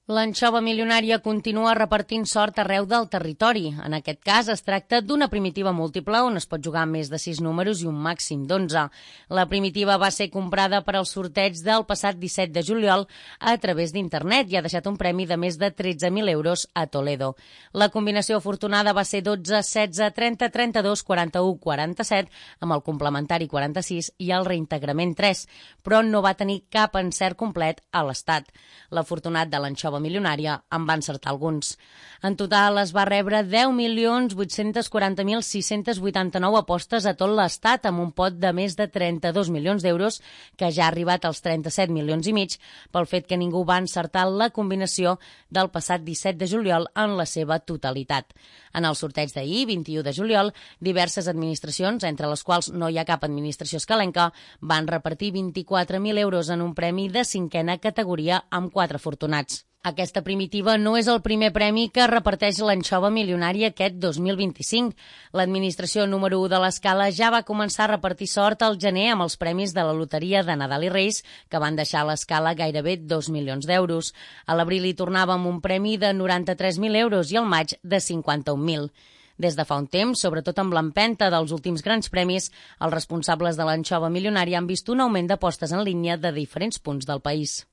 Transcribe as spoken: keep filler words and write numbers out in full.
L'anxova milionària continua repartint sort arreu del territori. En aquest cas es tracta d'una primitiva múltiple on es pot jugar amb més de sis números i un màxim d'onze. La primitiva va ser comprada per al sorteig del passat disset de juliol a través d'internet i ha deixat un premi de més de tretze mil euros a Toledo. La combinació afortunada va ser dotze, setze, trenta, trenta-dos, quaranta-u, quaranta-set amb el complementari quaranta-sis i el reintegrament tres, però no va tenir cap encert complet a l'estat. L'afortunat de l'anxova milionària en va encertar alguns. En total es va rebre deu milions vuit-cents quaranta mil sis-cents vuitanta-nou apostes a tot l'estat amb un pot de més de trenta-dos milions d'euros que ja ha arribat als trenta-set milions i mig pel fet que ningú va encertar la combinació del passat disset de juliol en la seva totalitat. En el sorteig d'ahir, vint-i-u de juliol, diverses administracions, entre les quals no hi ha cap administració escalenca, van repartir vint-i-quatre mil euros en un premi de cinquena categoria amb quatre afortunats. Aquesta primitiva no és el primer premi que reparteix l'anxova milionària aquest dos mil vint-i-cinc. L'administració número u de l'escala ja va començar a repartir sort al gener amb els premis de la loteria de Nadal i Reis, que van deixar a l'escala gairebé dos milions d'euros. A l'abril hi tornava amb un premi de noranta-tres mil euros i al maig de cinquanta-un mil. Des de fa un temps, sobretot amb l'empenta dels últims grans premis, els responsables de l'anxova milionària han vist un augment d'apostes en línia de diferents punts del país.